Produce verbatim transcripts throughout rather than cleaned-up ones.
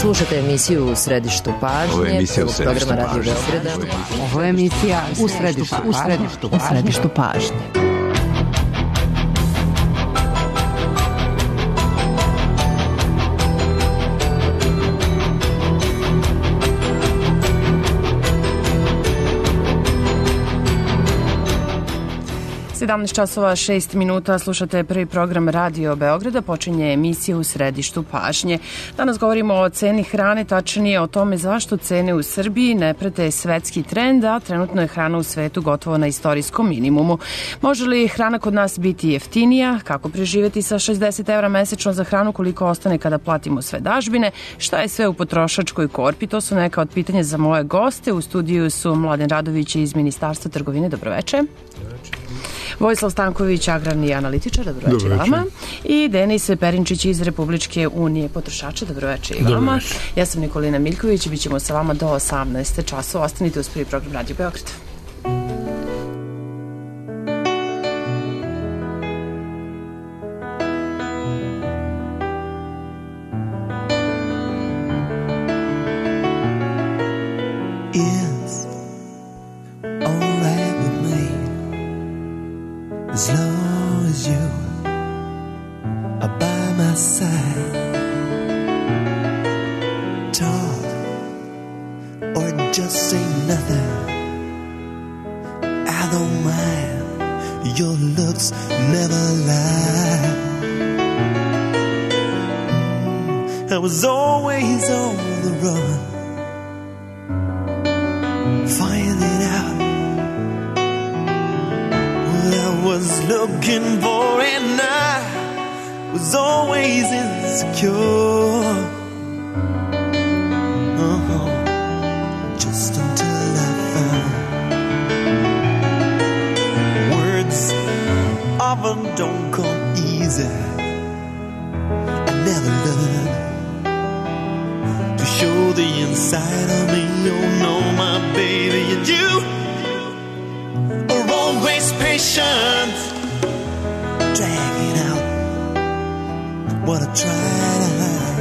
Slušajte emisiju U središtu pažnje. Ovo je emisija U središtu programa pažnje. Radio Beograda. Ovo je emisija U središtu, u središtu, u središtu pažnje. sedamnaest časova šest minuta, slušate prvi program Radio Beograda, počinje emisija U središtu pažnje. Danas govorimo o ceni hrane, tačnije o tome zašto cene u Srbiji ne prate svetski trend, a trenutno je hrana u svetu gotovo na istorijskom minimumu. Može li hrana kod nas biti jeftinija? Kako preživeti sa šezdeset evra mesečno za hranu, koliko ostane kada platimo sve dažbine? Šta je sve u potrošačkoj korpi? To su neka od pitanja za moje goste. U studiju su Mladen Radović iz Ministarstva trgovine. Dobroveče. Vojislav Stanković, agrarni analitičar, dobroveče vama. I Denis Perinčić iz Republičke unije potrošača, dobroveče i vama. Ja sam Nikolina Miljković i bit ćemo sa vama do osamnaest časova. Ostanite uz prvi program Radio Beograda. As long as you are by my side, talk or just say nothing, I don't mind, your looks never lie. I was always on the run, finding out I was looking for, and I was always insecure. Uh-huh. Just until I found words often don't come easy. I never learned to show the inside of me. Oh no, my baby, and you always patient, dragging out what I try to hide.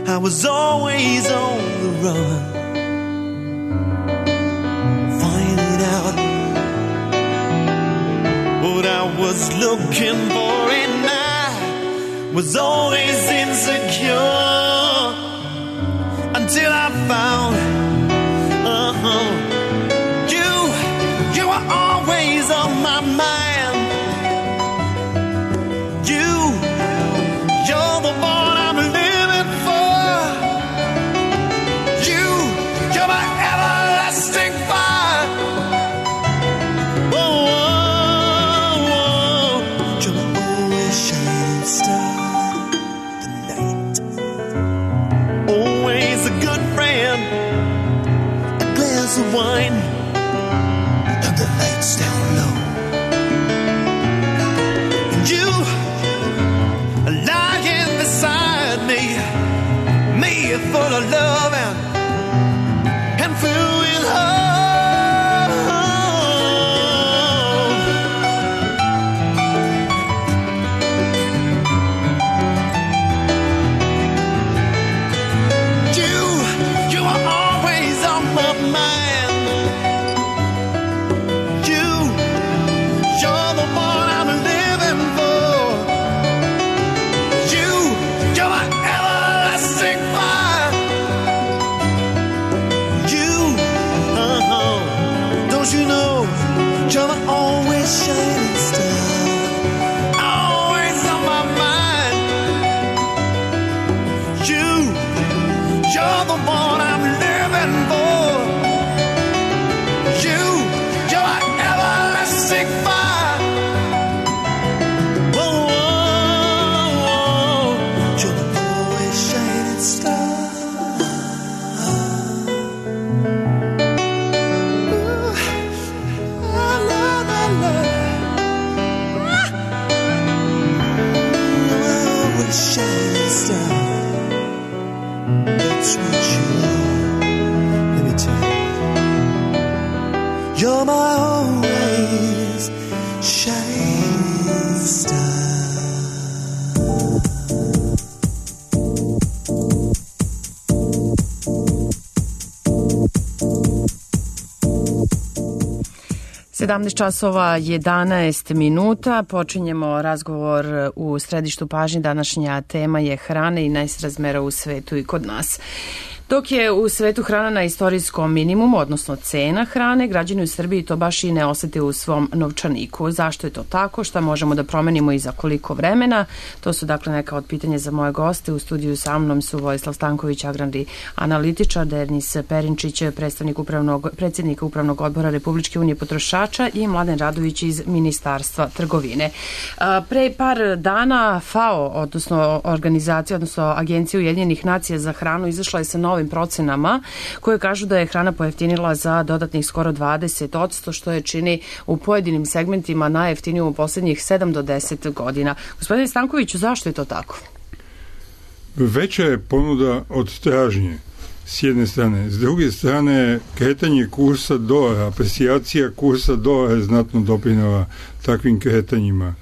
I was always on the run, finding out what I was looking for, and I was always insecure until I found Uh-huh. You, you are always on my mind. You, you're the one I'm living for. You, you're my everlasting fire. Oh, oh, oh. You're my always shining star tonight. Always a good friend. Of wine and the lights down low, and you are lying beside me, me full of love and and filled with hope. You, you are always on my mind. You're always shining star, always on my mind. You, you're the one I'm living for. You, you're my everlasting fire. Whoa, whoa, whoa. You're always shining star. La, la, la. sedamnaest časova jedanaest minuta. Počinjemo razgovor u središtu pažnje. Današnja tema je hrana i nesrazmera u svetu i kod nas. Dok je u svetu hrana na istorijskom minimumu, odnosno cena hrane, građani u Srbiji to baš i ne osete u svom novčaniku. Zašto je to tako? Šta možemo da promenimo i za koliko vremena? To su dakle neka od pitanja za moje goste. U studiju sa mnom su Vojislav Stanković, agrarni analitičar, Denis Perinčić, predstavnik upravnog, predsjednika Upravnog odbora Republičke unije potrošača i Mladen Radović iz Ministarstva trgovine. Pre par dana FAO, odnosno organizacija, odnosno Agencija Ujedinjenih nacija za hranu, izašla je sa novim procenama koje kažu da je hrana pojeftinila za dodatnih skoro dvadeset posto, što je čini u pojedinim segmentima najjeftiniju u posljednjih sedam do deset godina. Gospodine Stankoviću, zašto je to tako? Veća je ponuda od tražnje s jedne strane. S druge strane, kretanje kursa dolara, aprecijacija kursa dolara je znatno doprinela takvim kretanjima.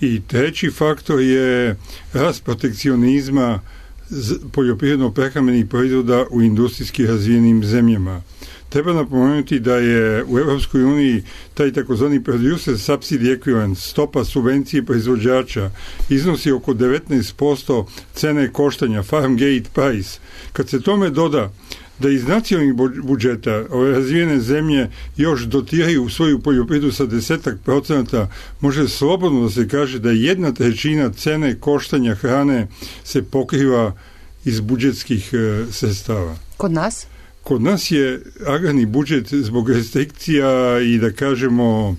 I treći faktor je rast protekcionizma poljoprivredno-prehrambenih proizvoda u industrijski razvijenim zemljama. Treba napomenuti da je u Europskoj uniji taj takozvani producer subsidy equivalent, stopa subvencije proizvođača, iznosi oko devetnaest posto cene koštanja, farm gate price. Kad se tome doda da iz nacionalnih budžeta ove razvijene zemlje još dotiraju u svoju poljoprivredu sa desetak procenata, može slobodno da se kaže da jedna trećina cene koštanja hrane se pokriva iz budžetskih e, sredstava. Kod nas? Kod nas je agrarni budžet zbog restrikcija i da kažemo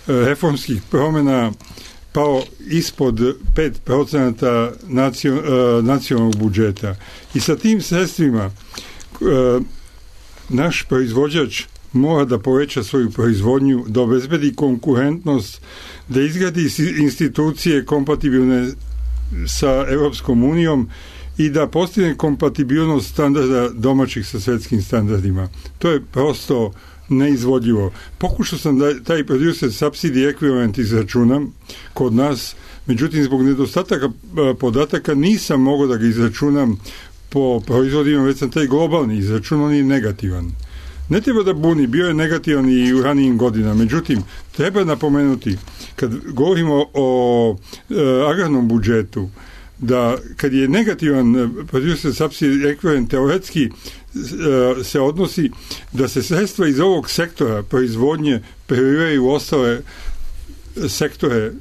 reformskih promjena pao ispod pet procenata nacionalnog budžeta. I sa tim sredstvima naš proizvođač mora da poveća svoju proizvodnju, da obezbedi konkurentnost, da izgradi institucije kompatibilne sa Europskom unijom i da postigne kompatibilnost standarda domaćih sa svjetskim standardima. To je prosto neizvodljivo. Pokušao sam da taj producer subsidy equivalent izračunam kod nas, međutim zbog nedostataka podataka nisam mogao da ga izračunam po proizvodima, već sam taj globalni izračun, on je negativan. Ne treba da buni, bio je negativan i u ranijim godinama, međutim, treba napomenuti, kad govorimo o e, agrarnom budžetu, da kad je negativan producer subsidy equivalent, teoretski e, se odnosi da se sredstva iz ovog sektora proizvodnje prelivaju u ostale sektore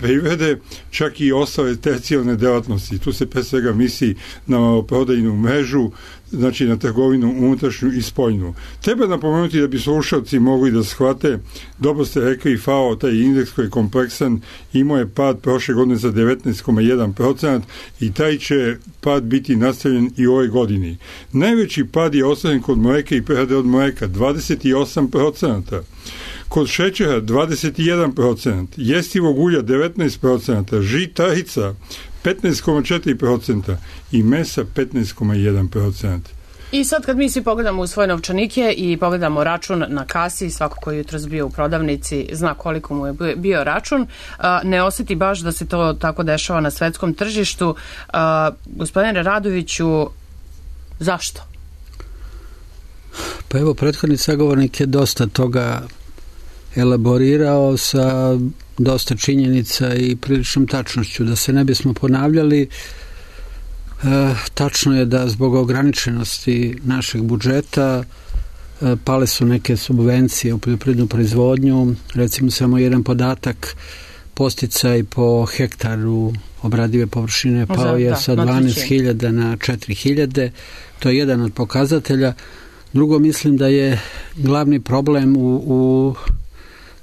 privrede, čak i ostale tercijarne delatnosti. Tu se pre svega misli na prodajnu mrežu, znači na trgovinu unutrašnju i spoljnu. Treba napomenuti da bi slušalci mogli da shvate, dobro ste rekli, FAO, taj indeks koji je kompleksan, imao je pad prošle godine za devetnaest zarez jedan posto i taj će pad biti nastavljen i u ovoj godini. Najveći pad je ostvaren kod mleka i prerade od mleka, dvadeset osam posto. Kod šećera dvadeset jedan posto, jestivog ulja devetnaest posto, žitarica petnaest zarez četiri posto i mesa petnaest zarez jedan posto. I sad kad mi svi pogledamo u svoje novčanike i pogledamo račun na kasi, svako koji jutros bio u prodavnici zna koliko mu je bio račun, ne osjeti baš da se to tako dešava na svetskom tržištu. Gospodine Radoviću, zašto? Pa evo, prethodni sagovornik je dosta toga elaborirao sa dosta činjenica i priličnom tačnošću. Da se ne bismo ponavljali, e, tačno je da zbog ograničenosti našeg budžeta e, pale su neke subvencije u poljoprivrednu proizvodnju. Recimo samo jedan podatak, posticaj po hektaru obradive površine pao je sa dvanaest hiljada na četiri hiljade. To je jedan od pokazatelja. Drugo, mislim da je glavni problem u, u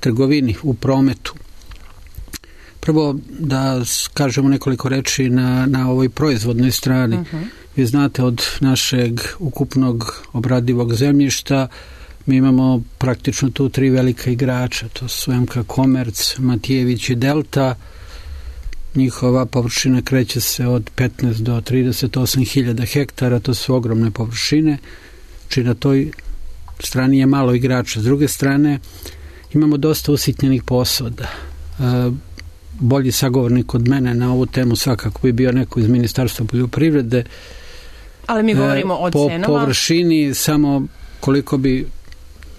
trgovini, u prometu. Prvo da kažemo nekoliko reči na, na ovoj proizvodnoj strani. Uh-huh. Vi znate, od našeg ukupnog obradivog zemljišta mi imamo praktično tu tri velika igrača. To su M K Komerc, Matijević i Delta. Njihova površina kreće se od petnaest do trideset osam hiljada hektara. To su ogromne površine. Či na toj strani je malo igrača. S druge strane, imamo dosta usitnjenih posada. E, bolji sagovornik od mene na ovu temu svakako bi bio neko iz Ministarstva poljoprivrede. Ali mi govorimo e, o po cenama. Po površini samo koliko bi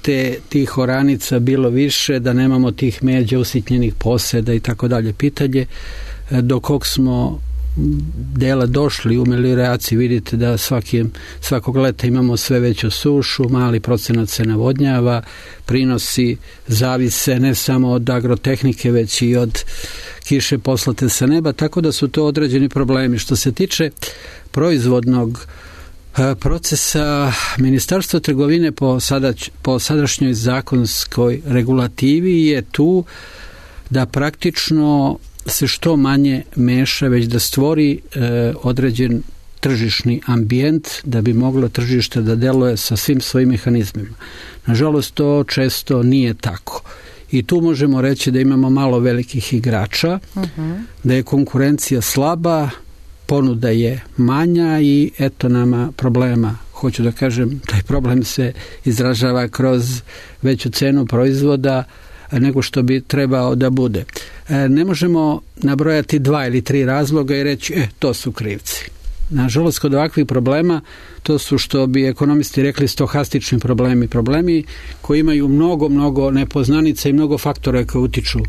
te, tih oranica bilo više, da nemamo tih međa usitnjenih poseda i tako dalje. Pitanje do kog smo dela došli u melioraciji, vidite da svaki, svakog leta imamo sve veću sušu, mali procenat se navodnjava, prinosi zavise ne samo od agrotehnike, već i od kiše poslate sa neba, tako da su to određeni problemi. Što se tiče proizvodnog procesa, Ministarstvo trgovine po, sadać, po sadašnjoj zakonskoj regulativi je tu da praktično se što manje meša, već da stvori e, određen tržišni ambijent da bi moglo tržište da deluje sa svim svojim mehanizmima. Nažalost, to često nije tako. I tu možemo reći da imamo malo velikih igrača, uh-huh. da je konkurencija slaba, ponuda je manja i eto nama problema. Hoću da kažem, taj problem se izražava kroz veću cenu proizvoda nego što bi trebao da bude. Ne možemo nabrojati dva ili tri razloga i reći, e, to su krivci. Nažalost, kod ovakvih problema, to su, što bi ekonomisti rekli, stohastični problemi. Problemi koji imaju mnogo, mnogo nepoznanica i mnogo faktora koji utiču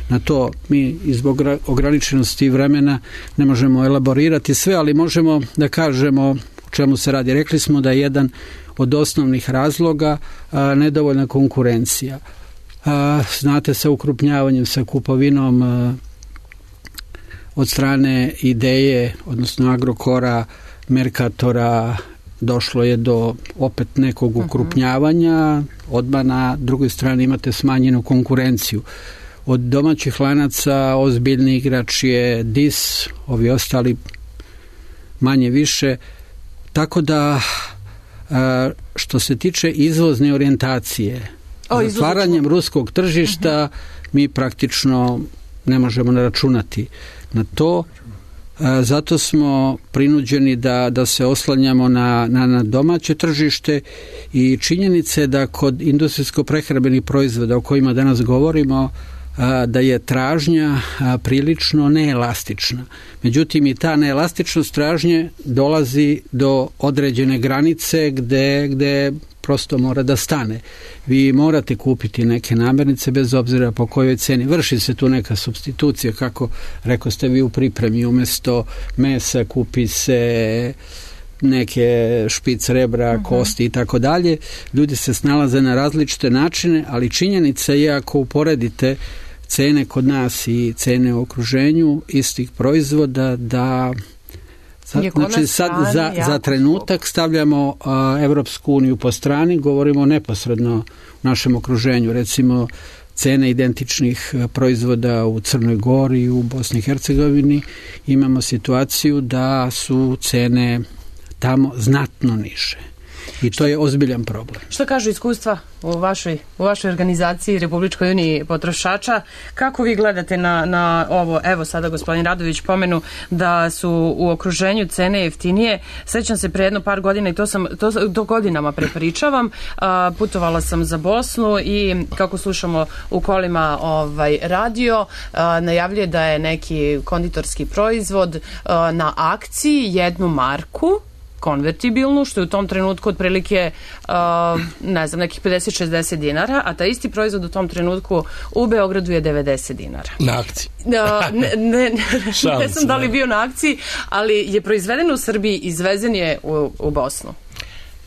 na to. Mi zbog ograničenosti vremena ne možemo elaborirati sve, ali možemo da kažemo o čemu se radi. Rekli smo da je jedan od osnovnih razloga a, nedovoljna konkurencija. A, znate, sa ukrupnjavanjem, sa kupovinom a, od strane Ideje, odnosno Agrokora, Merkatora, došlo je do opet nekog ukrupnjavanja, odmah na drugoj strani imate smanjenu konkurenciju. Od domaćih lanaca ozbiljni igrač je D I S, ovi ostali manje više, tako da a, što se tiče izvozne orijentacije, otvaranjem ruskog tržišta uh-huh. mi praktično ne možemo naračunati na to. Zato smo prinuđeni da, da se oslanjamo na, na, na domaće tržište i činjenice da kod industrijsko-prehrambenih proizvoda o kojima danas govorimo, da je tražnja prilično neelastična. Međutim, i ta neelastičnost tražnje dolazi do određene granice gde, gde prosto mora da stane. Vi morate kupiti neke namirnice bez obzira po kojoj ceni. Vrši se tu neka supstitucija, kako rekao ste vi u pripremi, umjesto mesa kupi se neke špic rebra, uh-huh. kosti i tako dalje. Ljudi se snalaze na različite načine, ali činjenica je, ako uporedite cene kod nas i cene u okruženju istih proizvoda, da Sad, znači sad za, za trenutak stavljamo a, Evropsku uniju po strani, govorimo neposredno u našem okruženju. Recimo, cene identičnih proizvoda u Crnoj Gori, u Bosni i Hercegovini, imamo situaciju da su cene tamo znatno niže. I to je ozbiljan problem. Što kažu iskustva u vašoj, u vašoj organizaciji Republičkoj uniji potrošača? Kako vi gledate na, na ovo? Evo sada gospodin Radović pomenu da su u okruženju cene jeftinije. Sećam se pre jedno par godina i to sam to, to godinama prepričavam. A, putovala sam za Bosnu i kako slušamo u kolima ovaj, radio, a, najavljuje da je neki konditorski proizvod a, na akciji, jednu marku konvertibilnu, što je u tom trenutku otprilike uh, ne znam, nekih pedeset šezdeset dinara, a ta isti proizvod u tom trenutku u Beogradu je devedeset dinara. Na akciji. Uh, ne, ne, ne, ne znam da li bio na akciji, ali je proizveden u Srbiji, izvezen je u, u Bosnu.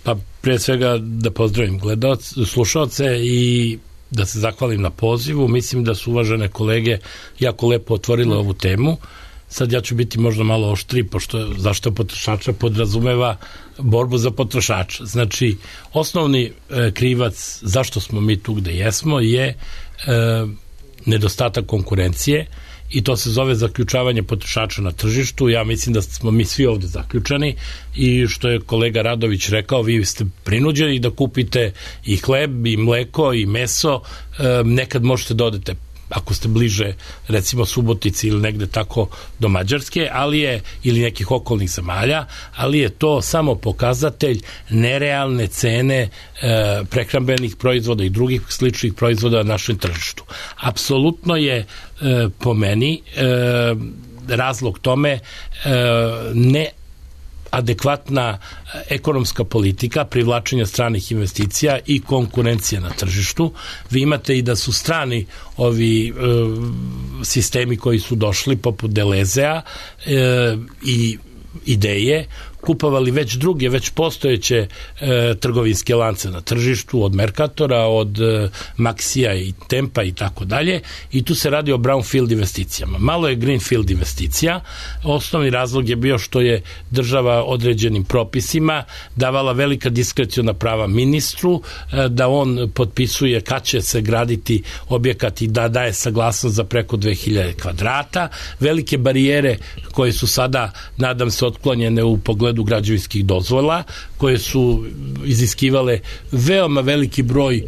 Pa prije svega da pozdravim gledalce, slušalce i da se zahvalim na pozivu. Mislim da su uvažene kolege jako lepo otvorile ovu temu. Sad ja ću biti možda malo oštri, pošto zašto potrošača podrazumeva borbu za potrošača. Znači, osnovni e, krivac zašto smo mi tu gde jesmo je e, nedostatak konkurencije i to se zove zaključavanje potrošača na tržištu. Ja mislim da smo mi svi ovde zaključani i što je kolega Radović rekao, vi ste prinuđeni da kupite i hleb, i mleko, i meso. E, nekad možete da odete, ako ste bliže recimo Subotici ili negde tako do Mađarske, ali je, ili nekih okolnih zemalja, ali je to samo pokazatelj nerealne cene e, prehrambenih proizvoda i drugih sličnih proizvoda na našem tržištu. Apsolutno je e, po meni e, razlog tome e, ne adekvatna ekonomska politika privlačenja stranih investicija i konkurencije na tržištu. Vi imate i da su strani ovi e, sistemi koji su došli poput Delezea e, i Ideje kupovali već druge, već postojeće e, trgovinske lance na tržištu, od Mercatora, od e, Maxija i Tempa i tako dalje, i tu se radi o brownfield investicijama. Malo je greenfield investicija. Osnovni razlog je bio što je država određenim propisima davala velika diskreciona prava ministru, e, da on potpisuje kad će se graditi objekat i da daje saglasnost za preko dve hiljade kvadrata. Velike barijere koje su sada, nadam se, otklonjene u pogledu građevinskih dozvola, koje su iziskivale veoma veliki broj e,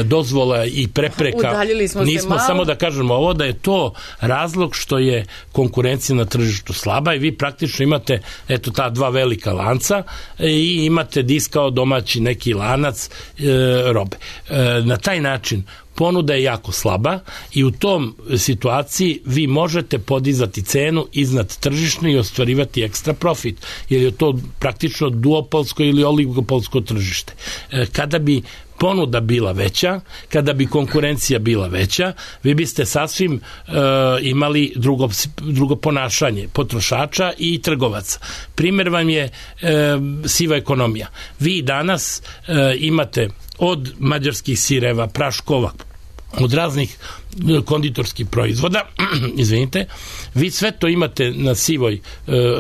dozvola i prepreka. Udaljili smo Nismo se malo. Samo da kažemo ovo, da je to razlog što je konkurencija na tržištu slaba i vi praktično imate eto ta dva velika lanca i imate diskao domaći neki lanac e, robe. E, na taj način ponuda je jako slaba i u tom situaciji vi možete podizati cenu iznad tržišne i ostvarivati ekstra profit, jer je to praktično duopolsko ili oligopolsko tržište. Kada bi ponuda bila veća, kada bi konkurencija bila veća, vi biste sasvim e, imali drugo, drugo ponašanje potrošača i trgovaca. Primjer vam je e, siva ekonomija. Vi danas e, imate od mađarskih sireva, praškova, od raznih konditorskih proizvoda, izvinite, vi sve to imate na sivoj e,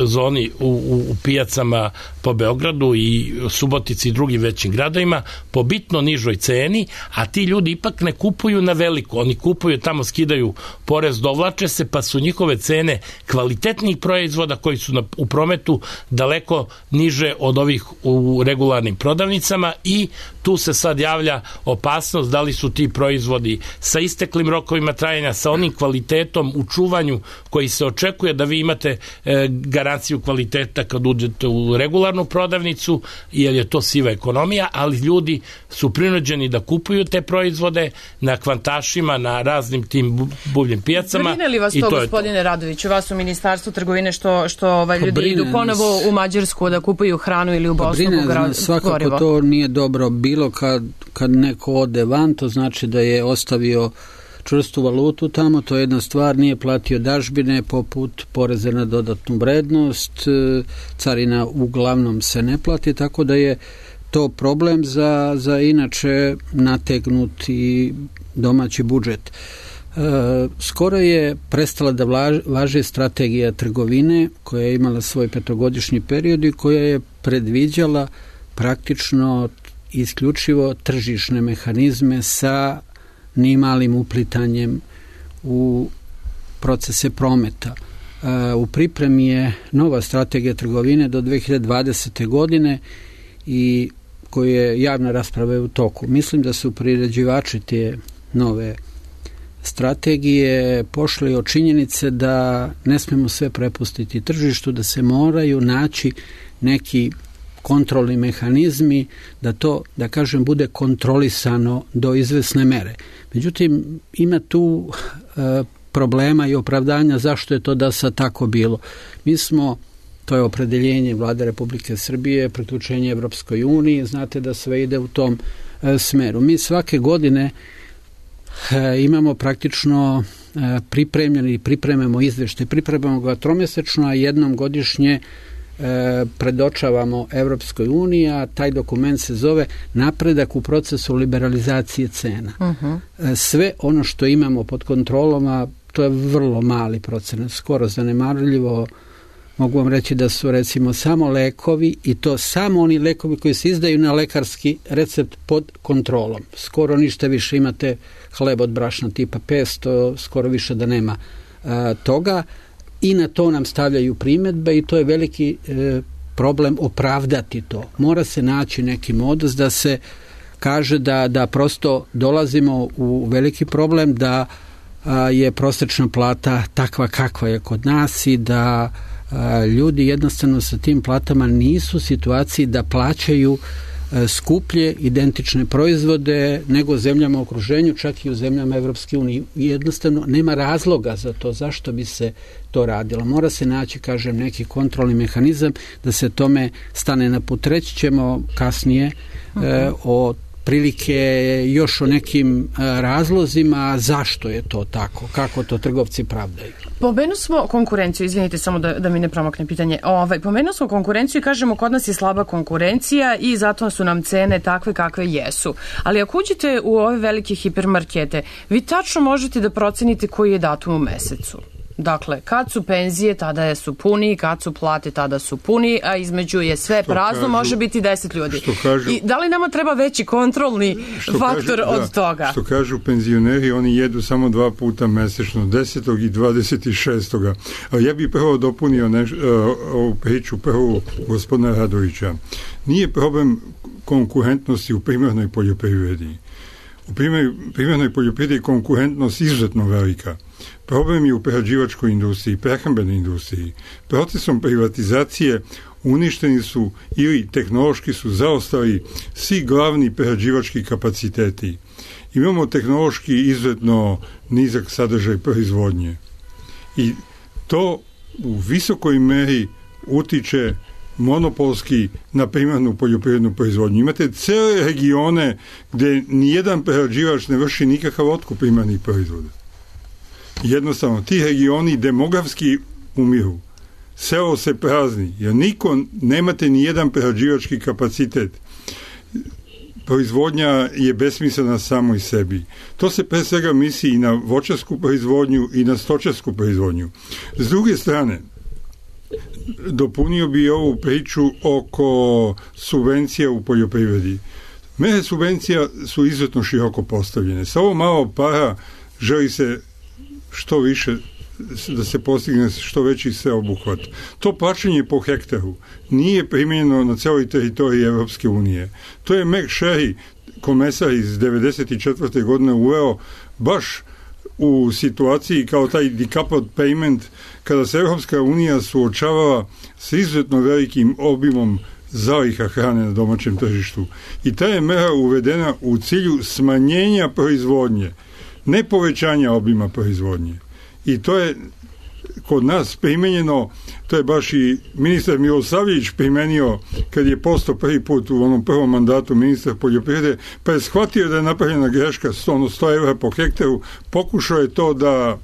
zoni u, u, u pijacama po Beogradu i Subotici i drugim većim gradovima po bitno nižoj ceni, a ti ljudi ipak ne kupuju na veliko, oni kupuju tamo, skidaju porez, dovlače se, pa su njihove cene kvalitetnih proizvoda koji su na, u prometu daleko niže od ovih u regularnim prodavnicama i tu se sad javlja opasnost da li su ti proizvodi sa isteklim rokovima trajanja, sa onim kvalitetom u čuvanju koji se očekuje da vi imate e, garanciju kvaliteta kad uđete u regularnu prodavnicu, jer je to siva ekonomija, ali ljudi su prinuđeni da kupuju te proizvode na kvantašima, na raznim tim buvljim pijacama. Brine li vas to, gospodine to. Radoviću, vas u Ministarstvu trgovine, što, što ovaj, ljudi idu ponovo u Mađarsku da kupuju hranu ili u Bosnu? Brine, svakako gorivo. To nije dobro bilo kad, kad neko ode van, to znači da je ostavio čvrstu valutu tamo, to je jedna stvar, nije platio dažbine poput poreza na dodatnu vrednost, carina uglavnom se ne plati, tako da je to problem za, za inače nategnuti domaći budžet. E, skoro je prestala da važi strategija trgovine koja je imala svoj petogodišnji period i koja je predviđala praktično isključivo tržišne mehanizme sa ni malim uplitanjem u procese prometa. U pripremi je nova strategija trgovine do dve hiljade dvadesete. godine i koje je javna rasprava u toku. Mislim da su priređivači te nove strategije pošli od činjenice da ne smemo sve prepustiti tržištu, da se moraju naći neki kontrolni mehanizmi, da to, da kažem, bude kontrolisano do izvesne mere. Međutim, ima tu e, problema i opravdanja zašto je to da sad tako bilo. Mi smo, to je opredeljenje Vlade Republike Srbije, priključenje Evropskoj uniji, znate da sve ide u tom e, smeru. Mi svake godine e, imamo praktično e, pripremljeni, pripremamo izveštaj, pripremamo ga tromjesečno, a jednom godišnje predočavamo Evropskoj uniji, a taj dokument se zove Napredak u procesu liberalizacije cena. Uh-huh. Sve ono što imamo pod kontrolom, to je vrlo mali procenat, skoro zanemarljivo. Mogu vam reći da su recimo samo lekovi, i to samo oni lekovi koji se izdaju na lekarski recept pod kontrolom. Skoro ništa više, imate hleb od brašna tipa petsto, skoro više da nema a, toga. I na to nam stavljaju primjedbe i to je veliki e, problem opravdati to. Mora se naći neki modus da se kaže da, da prosto dolazimo u veliki problem, da a, je prosječna plata takva kakva je kod nas i da a, ljudi jednostavno sa tim platama nisu u situaciji da plaćaju skuplje identične proizvode nego zemljama u okruženju, čak i u zemljama Evropske unije. Jednostavno nema razloga za to zašto bi se to radilo. Mora se naći, kažem, neki kontrolni mehanizam da se tome stane na put. Reći ćemo kasnije uh-huh. e, o prilike još o nekim razlozima zašto je to tako, kako to trgovci pravdaju. Pomenuo smo konkurenciju, izvinite samo da, da mi ne promakne pitanje. Ovaj, pomenuo smo konkurenciju i kažemo kod nas je slaba konkurencija i zato su nam cene takve kakve jesu. Ali ako uđete u ove velike hipermarkete, vi tačno možete da procenite koji je datum u mesecu. Dakle, kad su penzije, tada su puni, kad su plate, tada su puni, a između je sve što prazno, kažu, može biti deset ljudi. Kažu, I da li nama treba veći kontrolni faktor kažu, od da, toga? Što kažu penzioneri, oni jedu samo dva puta mesečno, desetog i dvadeset šestog Ja bih prvo dopunio neš, uh, ovu priču prvu gospodina Radovića. Nije problem konkurentnosti u primarnoj poljoprivredi. U primarnoj poljoprivredi je konkurentnost izuzetno velika. Problem je u prerađivačkoj industriji, prehrambenoj industriji. Procesom privatizacije uništeni su ili tehnološki su zaostali svi glavni prerađivački kapaciteti. Imamo tehnološki izuzetno nizak sadržaj proizvodnje. I to u visokoj meri utiče monopolski na primarnu poljoprivrednu proizvodnju. Imate cele regione gde nijedan prerađivač ne vrši nikakav otkup primarnih proizvoda. Jednostavno, ti regioni demografski umiru. Selo se prazni, jer niko, nemate ni jedan prerađivački kapacitet. Proizvodnja je besmislena samo i sebi. To se pre svega misli i na voćarsku proizvodnju i na stočarsku proizvodnju. S druge strane, dopunio bi ovu priču oko subvencija u poljoprivredi. Mere subvencija su izuzetno široko postavljene. Sa ovo malo para želi se što više da se postigne što veći sveobuhvat. To plaćanje po hektaru nije primjenjeno na celoj teritoriji Evropske unije. To je Mac Sherry, komesar iz devedeset četvrte godine uveo baš u situaciji kao taj decoupled payment, kada se Evropska unija suočavala sa izuzetno velikim obimom zaliha hrane na domaćem tržištu. I ta je mera uvedena u cilju smanjenja proizvodnje, ne povećanja obima proizvodnje. I to je kod nas primenjeno, to je baš i ministar Milosavljević primenio kad je postao prvi put u onom prvom mandatu ministar poljoprivrede, pa je shvatio da je napravljena greška sto evra po hektaru, pokušao je to da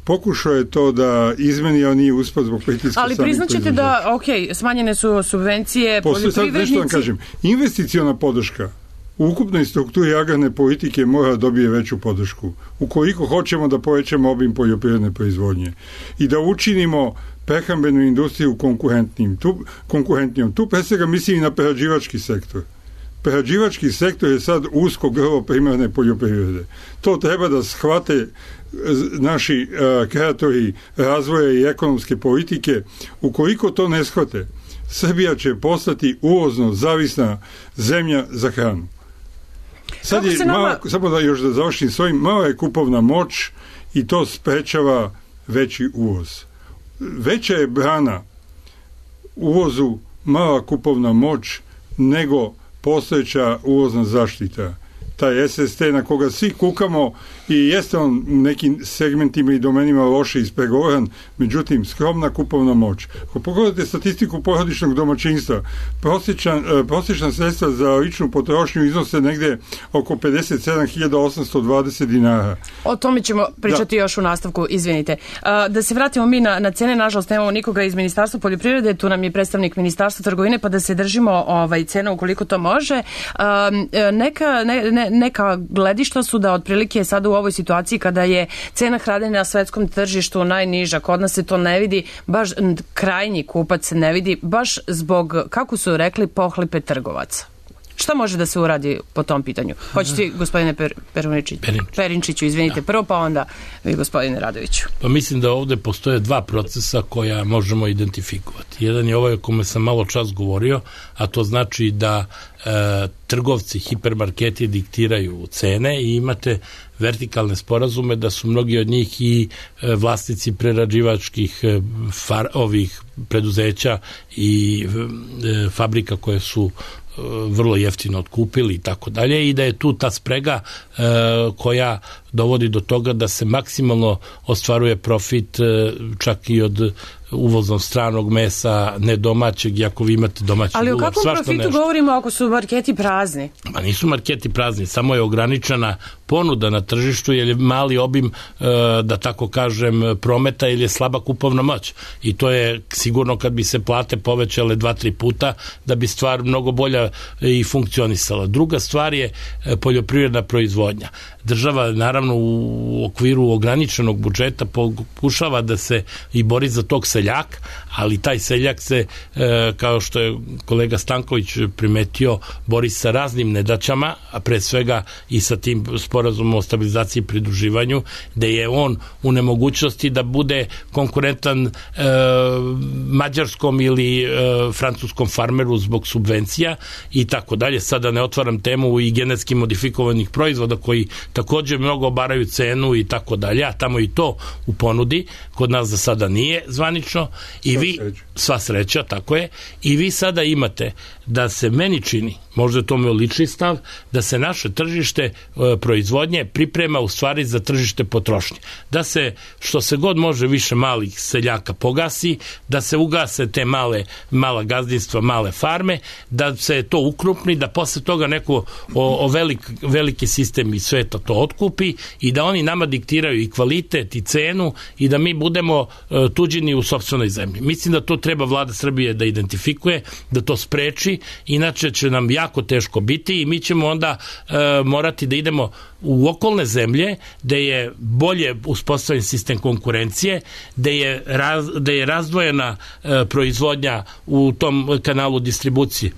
pokušao je to da izmeni, a nije uspio zbog pritiska samih ali priznaćete da, ok, smanjene su subvencije poljoprivrednici. Sad nešto vam kažem, investiciona podrška u ukupnoj strukturi agrarne politike mora dobije veću podršku. Ukoliko hoćemo da povećamo obim poljoprivredne proizvodnje i da učinimo prehrambenu industriju konkurentnim, tu, konkurentnijom. Tu pre svega mislim i na prerađivački sektor. Prerađivački sektor je sad usko grlo primarne poljoprivrede. To treba da shvate naši uh, kreatori razvoja i ekonomske politike. Ukoliko to ne shvate, Srbija će postati uvozno zavisna zemlja za hranu. Sad je nama... mala, samo da još da završim svojim, mala je kupovna moć i to sprečava veći uvoz. Veća je brana uvozu mala kupovna moć nego postojeća uvozna zaštita. Taj S S T na koga svi kukamo i jeste on u nekim segmentima i domenima loše ispregovoran, međutim skromna kupovna moć. Ako pogledate statistiku porodičnog domaćinstva, prosječan, prosječna sredstva za ličnu potrošnju iznose negde oko pedeset sedam hiljada osamsto dvadeset dinara. O tome ćemo pričati da. još u nastavku, izvinite. Da se vratimo mi na, na cene, nažalost nemamo nikoga iz Ministarstva poljoprivrede, tu nam je predstavnik Ministarstva trgovine, pa da se držimo ovaj, cena ukoliko to može. Neka, ne, ne, neka gledišta su da otprilike sada u ovoj situaciji kada je cena hrane na svetskom tržištu najniža, kod nas se to ne vidi, baš krajnji kupac se ne vidi, baš zbog, kako su rekli, pohlepe trgovaca. Šta može da se uradi po tom pitanju? Hoćete, gospodine per, Perinčiću? Perinčiću, izvinite, prvo, pa onda vi, gospodine Radoviću. Pa mislim da ovde postoje dva procesa koja možemo identifikovati. Jedan je ovaj o kome sam malo čas govorio, a to znači da e, trgovci, hipermarketi diktiraju cene i imate vertikalne sporazume da su mnogi od njih i e, vlasnici prerađivačkih e, far, ovih preduzeća i e, fabrika koje su vrlo jeftino otkupili i tako dalje, i da je tu ta sprega e, koja dovodi do toga da se maksimalno ostvaruje profit e, čak i od uvoznog stranog mesa, ne domaćeg, i ako vi imate domaći ali ulov. Ali o kakvom profitu nešto govorimo ako su marketi prazni? Ma nisu marketi prazni, samo je ograničena ponuda na tržištu, jer je mali obim, e, da tako kažem, prometa, ili je slaba kupovna moć. I to je sigurno kad bi se plate povećale dva, tri puta, da bi stvar mnogo bolja i funkcionisala. Druga stvar je poljoprivredna proizvodnja. Država, naravno, u okviru ograničenog budžeta pokušava da se i bori za tog seljaka, ali taj seljak se, e, kao što je kolega Stanković primetio, bori sa raznim nedaćama, a pre svega i sa tim sporazumom o stabilizaciji i pridruživanju, da je on u nemogućnosti da bude konkurentan e, mađarskom ili e, francuskom farmeru zbog subvencija i tako dalje. Sada ne otvaram temu i genetski modifikovanih proizvoda koji također mnogo obaraju cenu i tako dalje, a tamo i to u ponudi, kod nas za sada nije zvanično, i vi, sva sreća, tako je, i vi sada imate da se, meni čini, možda je to moj lični stav, da se naše tržište e, proizvodnje priprema u stvari za tržište potrošnje. Da se, što se god može, više malih seljaka pogasi, da se ugase te male, mala gazdinstva, male farme, da se to ukrupni, da posle toga neko o, o velik, veliki sistem iz sveta to otkupi i da oni nama diktiraju i kvalitet i cenu i da mi budemo e, tuđini u sopstvenoj zemlji. Mislim da to treba vlada Srbije da identifikuje, da to spreči, inače će nam jako teško biti i mi ćemo onda e, morati da idemo u okolne zemlje gde je bolje uspostavljen sistem konkurencije, gde je, raz, gde je razdvojena e, proizvodnja u tom kanalu distribucije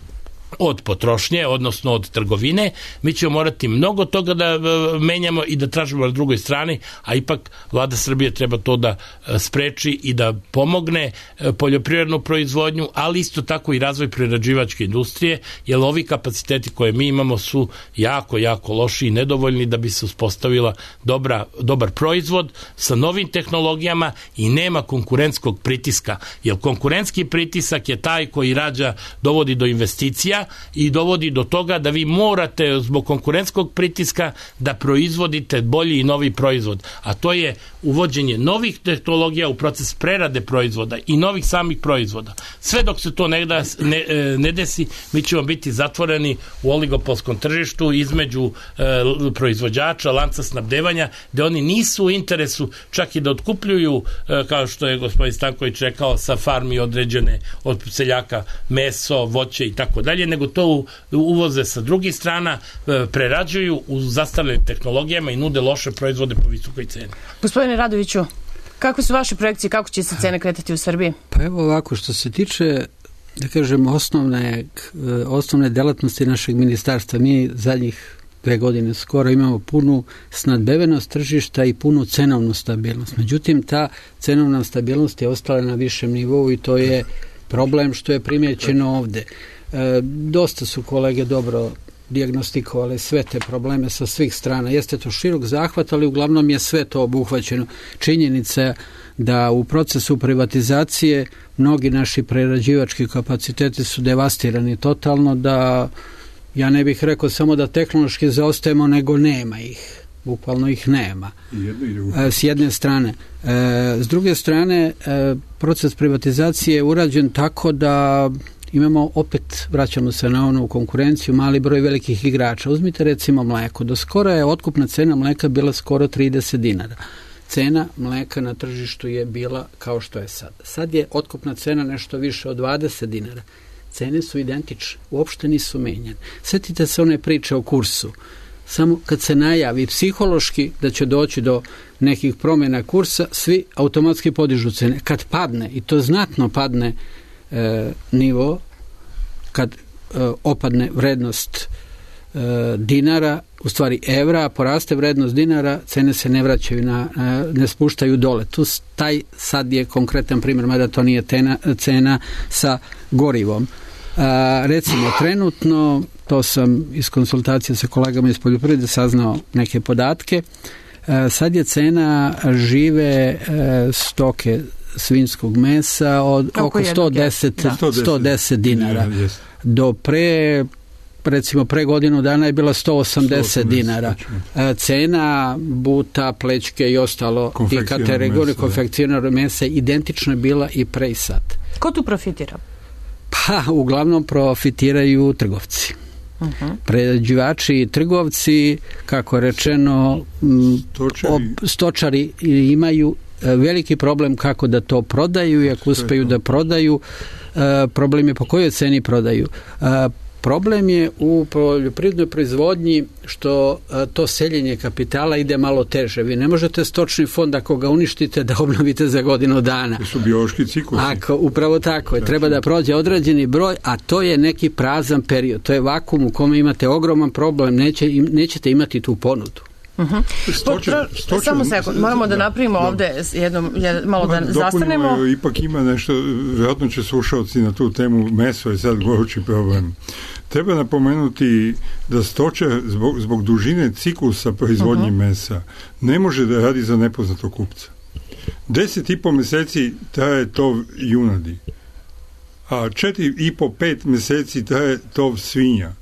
od potrošnje, odnosno od trgovine. Mi ćemo morati mnogo toga da menjamo i da tražimo na drugoj strani, a ipak vlada Srbije treba to da spreči i da pomogne poljoprivrednu proizvodnju, ali isto tako i razvoj prerađivačke industrije, jer ovi kapaciteti koje mi imamo su jako, jako loši i nedovoljni da bi se uspostavila dobra, dobar proizvod sa novim tehnologijama i nema konkurentskog pritiska, jer konkurentski pritisak je taj koji rađa, dovodi do investicija i dovodi do toga da vi morate zbog konkurentskog pritiska da proizvodite bolji i novi proizvod, a to je uvođenje novih tehnologija u proces prerade proizvoda i novih samih proizvoda. Sve dok se to ne, da, ne, ne desi, mi ćemo biti zatvoreni u oligopolskom tržištu između e, proizvođača, lanca snabdevanja, gde oni nisu u interesu čak i da otkupljuju, e, kao što je gospodin Stanković rekao, sa farmi određene od seljaka meso, voće i tako dalje, nego to uvoze sa drugih strana, prerađuju u zastarjelim tehnologijama i nude loše proizvode po visokoj ceni. Gospodine Radoviću, kako su vaše projekcije, kako će se cene kretati u Srbiji? Pa evo ovako, što se tiče, da kažem, osnovne, osnovne delatnosti našeg ministarstva, mi zadnjih dve godine skoro imamo punu snadbevenost tržišta i punu cenovnu stabilnost. Međutim, ta cenovna stabilnost je ostala na višem nivou i to je problem što je primjećeno ovde. E, dosta su kolege dobro dijagnostikovali sve te probleme sa svih strana. Jeste to širok zahvat, ali uglavnom je sve to obuhvaćeno. Činjenica da u procesu privatizacije mnogi naši prerađivački kapaciteti su devastirani totalno, da ja ne bih rekao samo da tehnološki zaostajemo, nego nema ih. Bukvalno ih nema. E, s jedne strane. E, s druge strane, e, proces privatizacije je urađen tako da imamo, opet vraćamo se na onu konkurenciju, mali broj velikih igrača. Uzmite recimo mleko. Do skora je otkupna cena mleka bila skoro trideset dinara. Cena mleka na tržištu je bila kao što je sad. Sad je otkupna cena nešto više od dvadeset dinara. Cene su identične, uopšte nisu menjene. Sjetite se one priče o kursu. Samo kad se najavi psihološki da će doći do nekih promjena kursa, svi automatski podižu cene. Kad padne, i to znatno padne e, nivo, kad e, opadne vrednost e, dinara, u stvari evra, poraste vrednost dinara, cene se ne vraćaju, na, ne spuštaju dole. Tu taj sad je konkretan primjer, mada to nije tena, cena sa gorivom. A, recimo, trenutno, to sam iz konsultacije sa kolegama iz poljoprivrede saznao neke podatke, a, sad je cena žive a, stoke svinjskog mesa od oko sto deset, sto deset dinara. Do pre recimo pre godinu dana je bila sto osamdeset dinara. Cena buta, plećke i ostalo i kategorije konfekcionarnog mesa identično je bila i pre i sad. Ko tu profitira? Pa, uglavnom profitiraju trgovci. Uh-huh. Prerađivači i trgovci, kako je rečeno, stočari. Ob, stočari imaju veliki problem kako da to prodaju i ako uspeju da prodaju, problem je po kojoj ceni prodaju. Problem je u poljoprivrednoj proizvodnji što to seljenje kapitala ide malo teže. Vi ne možete stočni fond ako ga uništite da obnovite za godinu dana. To su biološki ciklusi. Ako, upravo tako. Je. Treba da prođe određeni broj, a to je neki prazan period. To je vakum u kome imate ogroman problem. Neće, nećete imati tu ponudu. Uh-huh. Stočer, stočer, Samo sekund, moramo da napravimo da, ovde jedno, jedno, malo da zastanemo. Dopunimo, ipak ima nešto, vjerojatno će slušalci na tu temu, meso je sad gorući problem. Treba napomenuti da stočar zbog, zbog dužine ciklusa proizvodnje uh-huh. mesa ne može da radi za nepoznatog kupca. Deset i po meseci traje tov junadi, a četiri i po pet meseci traje tov svinja.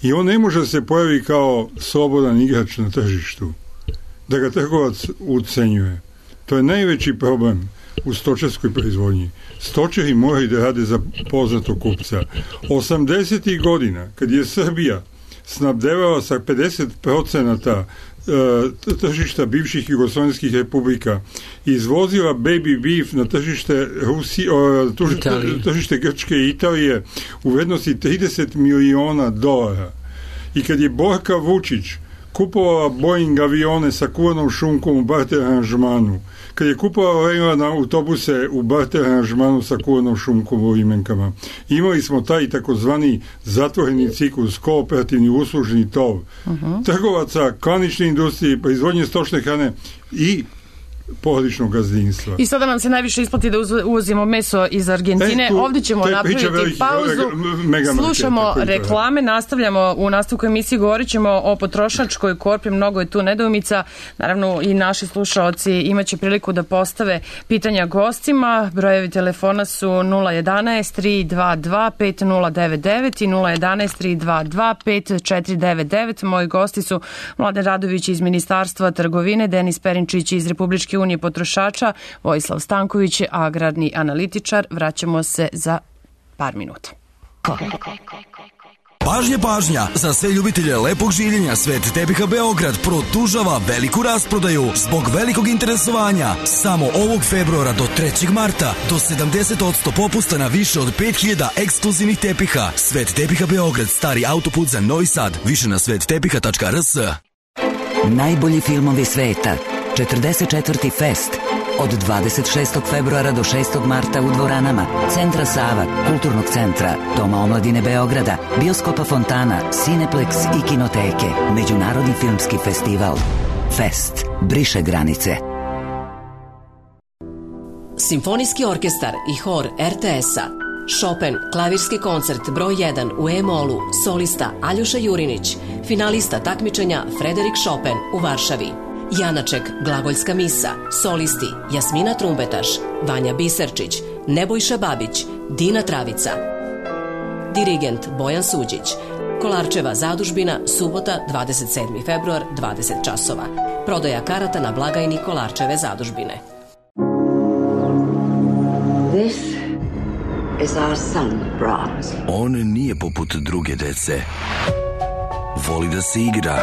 I on ne može se pojavi kao slobodan igrač na tržištu, da ga trgovac ucenjuje. To je najveći problem u stočarskoj proizvodnji. Stočari moraju da rade za poznatog kupca. osamdesetih godina, kad je Srbija snabdevala sa pedeset procenata tržišta bivših jugoslovenskih republika i izvozila baby beef na tržište Rusi, o, tržište, tržište Grčke i Italije u vrednosti trideset miliona dolara. I kad je Borka Vučić kupovala Boeing avione sa kuvanom šunkom u barter aranžmanu, kad je kupovala Lejlana autobuse u barter aranžmanu sa kuvanom šunkom u imenkama, imali smo taj takozvani zatvoreni ciklus, kooperativni uslužni tov, uh-huh. trgovaca, klanične industrije, proizvodnje stočne hrane i porodičnog gazdinstva. I sada nam se najviše isplati da uvozimo meso iz Argentine. E, tu, Ovdje ćemo napraviti veliki, pauzu. Mega Slušamo market, reklame, nastavljamo u nastavku emisiji, govorit ćemo o potrošačkoj korpi, mnogo je tu nedoumica. Naravno i naši slušaoci imaće priliku da postave pitanja gostima. Brojevi telefona su nula jedanaest tri dva dva pet nula devet devet i nula jedanaest tri dva dva pet četiri devet devet. Moji gosti su Mladen Radović iz Ministarstva trgovine, Denis Perinčić iz Republičke unije potrošača, Vojislav Stanković, agrarni analitičar. Vraćamo se za par minuta. Pažnja, pažnja! Za sve ljubitelje lepog življenja Svet tepiha Beograd produžava veliku rasprodaju zbog velikog interesovanja. Samo ovog februara do trećeg marta do sedamdeset posto popusta na više od pet hiljada ekskluzivnih tepiha. Svet tepiha Beograd, stari autoput za Novi Sad. Više na svet tepiha tačka r s. Najbolji filmovi sveta. četrdeset četvrti Fest od dvadeset šestog februara do šestog marta u dvoranama Centra Sava, Kulturnog centra, Doma omladine Beograda, Bioskopa Fontana, Cineplex i Kinoteke. Međunarodni filmski festival Fest briše granice. Simfonijski orkestar i hor er te es-a. Chopin, klavirski koncert broj jedan u E-molu, solista Aljoša Jurinić, finalista takmičenja Frederik Chopin u Varšavi. Janaček, glagoljska misa, solisti Jasmina Trumbetaš, Vanja Biserčić, Nebojša Babić, Dina Travica. Dirigent Bojan Suđić. Kolarčeva zadužbina, subota, dvadeset sedmi februar, dvadeset časova. Prodaja karata na blagajni Kolarčeve zadužbine. This is our son, Brahms. On nije poput druge dece. Voli da se igra.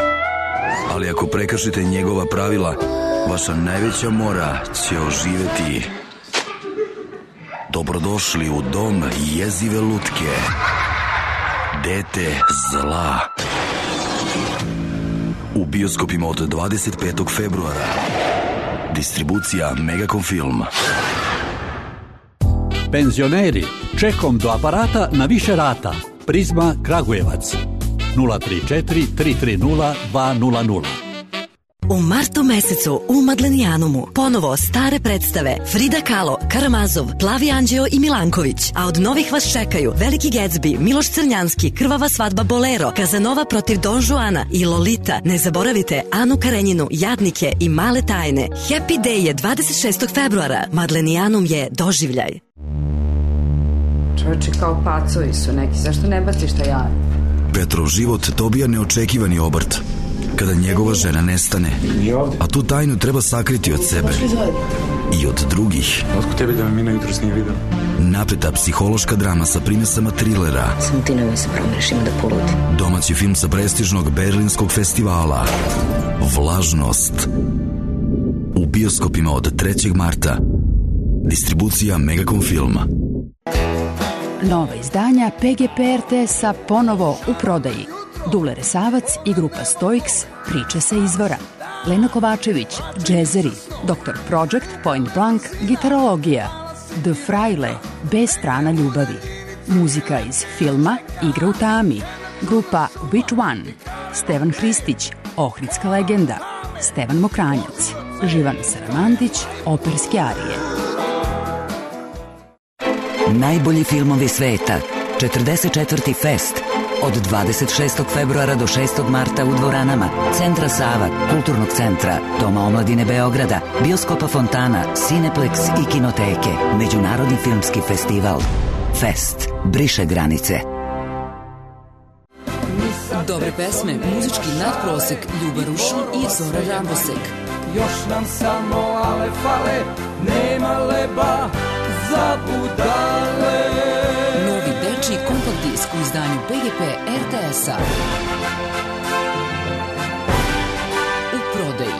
Ali ako prekršite njegova pravila, vaša najveća mora će oživeti. Dobrodošli u dom jezive lutke. Dete zla. U bioskopima od dvadeset petog februara. Distribucija Megacom Film. Penzioneri, čekom do aparata na više rata. Prizma Kragujevac. nula tri četiri tri tri nula dva nula nula. U martu mesecu u Madlenijanumu ponovo stare predstave Frida Kahlo, Karamazov, Plavi Anđeo i Milanković, a od novih vas čekaju Veliki Gatsby, Miloš Crnjanski, Krvava svadba Bolero, Kazanova protiv Don Juana i Lolita. Ne zaboravite Anu Karenjinu, Jadnike i Male tajne. Happy Day je dvadeset šestog februara. Madlenijanum je doživljaj. Čovječe, kao pacovi su neki, zašto ne baciš taj jaje? Petrov život dobija neočekivani obrt kada njegova žena nestane, a tu tajnu treba sakriti od sebe i od drugih. Otko tebi da me Mina jutros nije vidio? Napreta psihološka drama sa primesama trilera. Samo ti nemoj se promrešim da poludi. Domaći film sa prestižnog berlinskog festivala Vlažnost. U bioskopima od trećeg marta. Distribucija Megacom filma. Nova izdanja P G P R T S-a ponovo u prodaji. Dule Resavac i grupa Stoiks, priče sa izvora. Lena Kovačević, džezeri, doktor Project, Point Blank, gitarologija. The Fraile, B strana ljubavi. Muzika iz filma Igra u tami. Grupa Which One. Stevan Hristić, Ohridska legenda. Stevan Mokranjac. Živan Saramandić, operske arije. Najbolji filmovi sveta. četrdeset četvrti Fest. Od dvadeset šestog februara do šestog marta u dvoranama Centra Sava, Kulturnog centra, Doma omladine Beograda, Bioskopa Fontana, Cineplex i Kinoteke. Međunarodni filmski festival. Fest. Briše granice. Dobre pesme, muzički nadprosek, Ljuba Rušun i Zora Rambosek. Još nam samo ale fale, nema leba za budale. Novi dečiji kompakt disk u izdanju P G P R T S-a. U prodaji.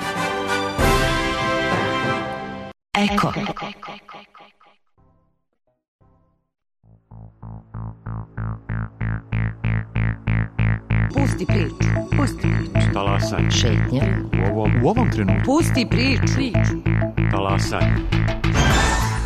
Eko. Pusti priču, pusti priču. Talasaj. Šetnja. U ovom, u ovom trenutku. Pusti priču. Talasaj.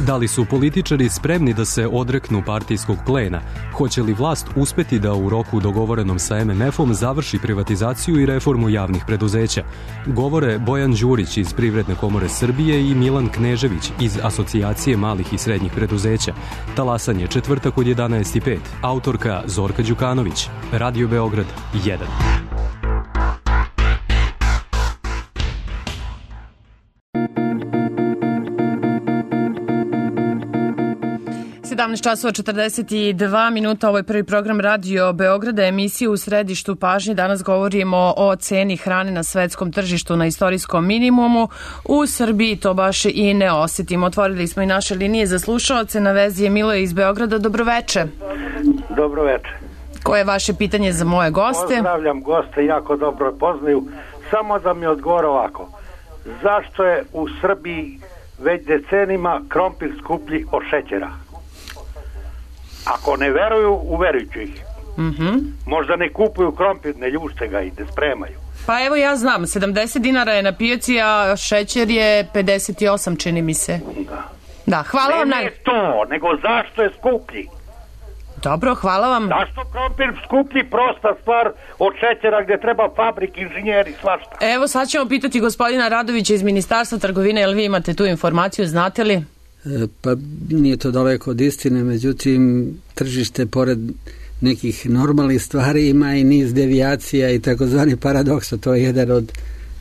Da li su političari spremni da se odreknu partijskog plena? Hoće li vlast uspeti da u roku dogovorenom sa M M F-om završi privatizaciju i reformu javnih preduzeća? Govore Bojan Đurić iz Privredne komore Srbije i Milan Knežević iz Asocijacije malih i srednjih preduzeća. Talasanje četvrtak od jedanaest i pet. Autorka Zorka Đukanović. Radio Beograd jedan. sedamnaest časova četrdeset dva minuta, ovo je prvi program Radio Beograda, emisija u središtu pažnje. Danas govorimo o ceni hrane na svetskom tržištu na istorijskom minimumu. U Srbiji to baš i ne osetimo. Otvorili smo i naše linije za slušaoce. Na vezi je Miloje iz Beograda. Dobroveče. Dobroveče. Koje je vaše pitanje za moje goste? Pozdravljam goste, jako dobro poznaju. Samo da mi odgovore ovako. Zašto je u Srbiji već decenima krompir skuplji od šećera? Ako ne veruju, uverujću ih. Mm-hmm. Možda ne kupuju krompir, ne ljušte ga i ne spremaju. Pa evo ja znam, sedamdeset dinara je na pijaci, a šećer je pedeset osam, čini mi se. Da. Da, hvala ne, vam. Ne naj... to, nego zašto je skuplji? Dobro, hvala vam. Zašto krompir skuplji, prosta stvar od šećera gdje treba fabrik, inženjeri, svašta. Evo sad ćemo pitati gospodina Radovića iz Ministarstva trgovine, jel vi imate tu informaciju, znate li? Pa nije to daleko od istine, međutim tržište pored nekih normalnih stvari ima i niz devijacija i takozvani paradoksa. To je jedan od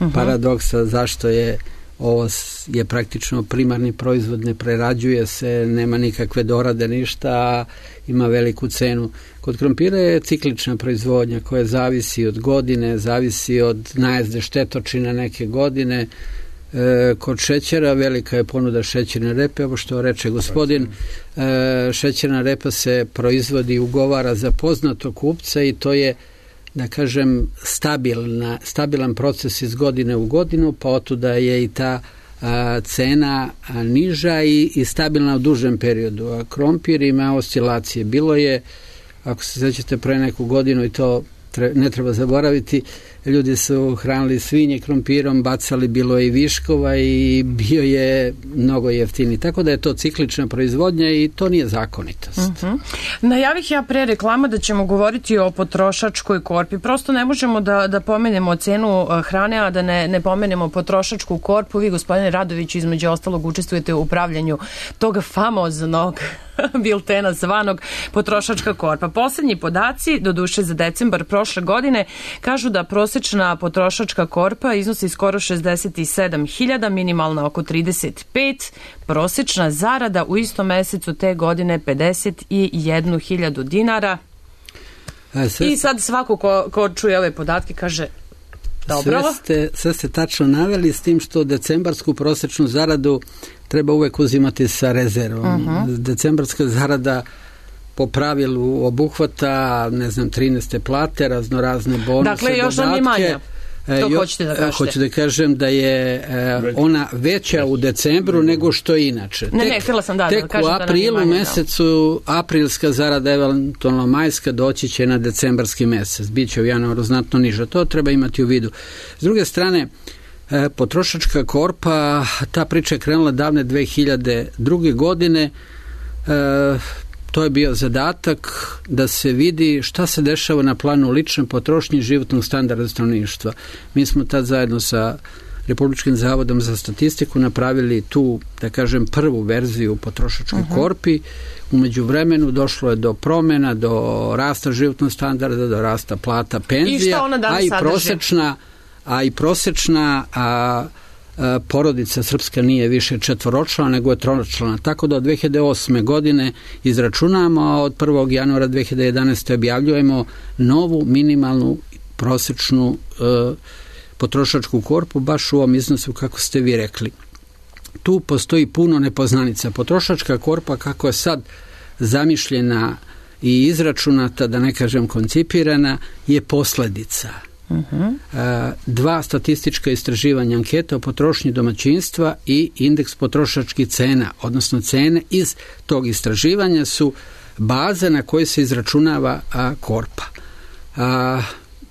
uh-huh. paradoksa zašto je ovo je praktično primarni proizvod, ne prerađuje se, nema nikakve dorade, ništa, ima veliku cenu. Kod krompira je ciklična proizvodnja koja zavisi od godine, zavisi od najezde štetočina neke godine. E, kod šećera velika je ponuda šećerne repe, ovo što reče gospodin, e, šećerna repa se proizvodi i ugovara za poznatog kupca i to je, da kažem, stabilna, stabilan proces iz godine u godinu, pa otuda je i ta a, cena a, niža i, i stabilna u dužem periodu. A krompir ima oscilacije. Bilo je, ako se sećate, pre neku godinu i to ne treba zaboraviti, ljudi su hranili svinje krompirom, bacali, bilo je i viškova i bio je mnogo jeftini. Tako da je to ciklična proizvodnja i to nije zakonitost. Uh-huh. Najavih ja pre reklama da ćemo govoriti o potrošačkoj korpi. Prosto ne možemo da, da pomenemo cenu hrane, a da ne, ne pomenemo potrošačku korpu. Vi, gospodine Radoviću, između ostalog učestvujete u upravljanju tog famoznog biltena zvanog Potrošačka korpa. Poslednji podaci, doduše za decembar prošle godine, kažu da prosečna potrošačka korpa iznosi skoro šezdeset sedam hiljada, minimalna oko trideset pet, prosečna zarada u istom mesecu te godine pedeset jednu hiljadu dinara. Sve... I sad svako ko, ko čuje ove podatke kaže dobro. Sve ste, sve ste tačno naveli, s tim što decembarsku prosječnu zaradu treba uvek uzimati sa rezervom. Uh-huh. Decembarska zarada po pravilu obuhvata, ne znam, trinaeste plate, raznorazne bonuse, dakle, još dodatke. Dakle, još nam je manja. To jo, hoćete da kažete? Hoću da kažem da je e, ona veća u decembru nego što je inače. Ne, tek, ne, htjela sam da, tek da kažem u aprilu da manje, mesecu, da. Aprilska zarada, eventualno majska, doći će na decembarski mesec. Biće u januaru znatno niža. To treba imati u vidu. S druge strane, e, potrošačka korpa, ta priča je krenula davne dve hiljade druge. godine. E, To je bio zadatak da se vidi šta se dešava na planu lične potrošnje i životnog standarda stanovništva. Mi smo tad zajedno sa Republičkim zavodom za statistiku napravili tu, da kažem, prvu verziju potrošačkoj uh-huh. korpi. U međuvremenu došlo je do promjena, do rasta životnog standarda, do rasta plata, penzija, I šta ona danas a i prosečna, a i prosečna a, porodica srpska nije više četvoročlana nego je tročlana. Tako da od dve hiljade osme. godine izračunamo, a od prvog januara dve hiljade jedanaeste. objavljujemo novu minimalnu prosečnu e, potrošačku korpu, baš u ovom iznosu kako ste vi rekli. Tu postoji puno nepoznanica. Potrošačka korpa kako je sad zamišljena i izračunata, da ne kažem koncipirana, je posljedica. Uh-huh. Dva statistička istraživanja, anketa o potrošnji domaćinstva i indeks potrošačkih cena, odnosno cene iz tog istraživanja su baze na koje se izračunava a, korpa. A,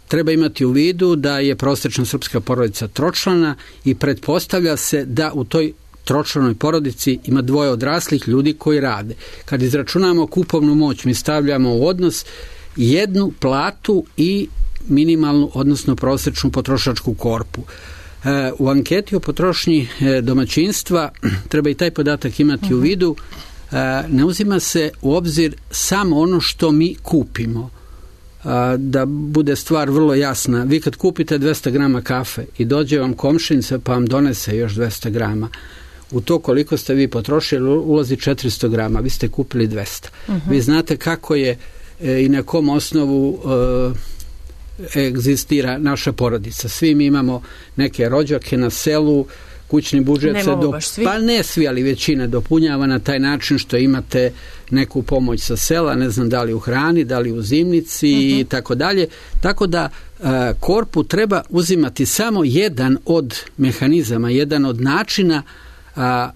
treba imati u vidu da je prosječna srpska porodica tročlana i pretpostavlja se da u toj tročlanoj porodici ima dvoje odraslih ljudi koji rade. Kad izračunamo kupovnu moć, mi stavljamo u odnos jednu platu i minimalnu, odnosno prosječnu potrošačku korpu. E, u anketi o potrošnji e, domaćinstva treba i taj podatak imati uh-huh. u vidu. E, ne uzima se u obzir samo ono što mi kupimo. E, da bude stvar vrlo jasna. Vi kad kupite dvesta grama kafe i dođe vam komšinica pa vam donese još dvesta grama, u to koliko ste vi potrošili ulazi četiristo grama, vi ste kupili dvesta. Uh-huh. Vi znate kako je e, i na kom osnovu e, egzistira naša porodica. Svi mi imamo neke rođake na selu, kućni budžet se do... pa ne svi, ali većina dopunjava na taj način što imate neku pomoć sa sela, ne znam da li u hrani, da li u zimnici uh-huh. i tako dalje. Tako da a, korpu treba uzimati samo jedan od mehanizama, jedan od načina a,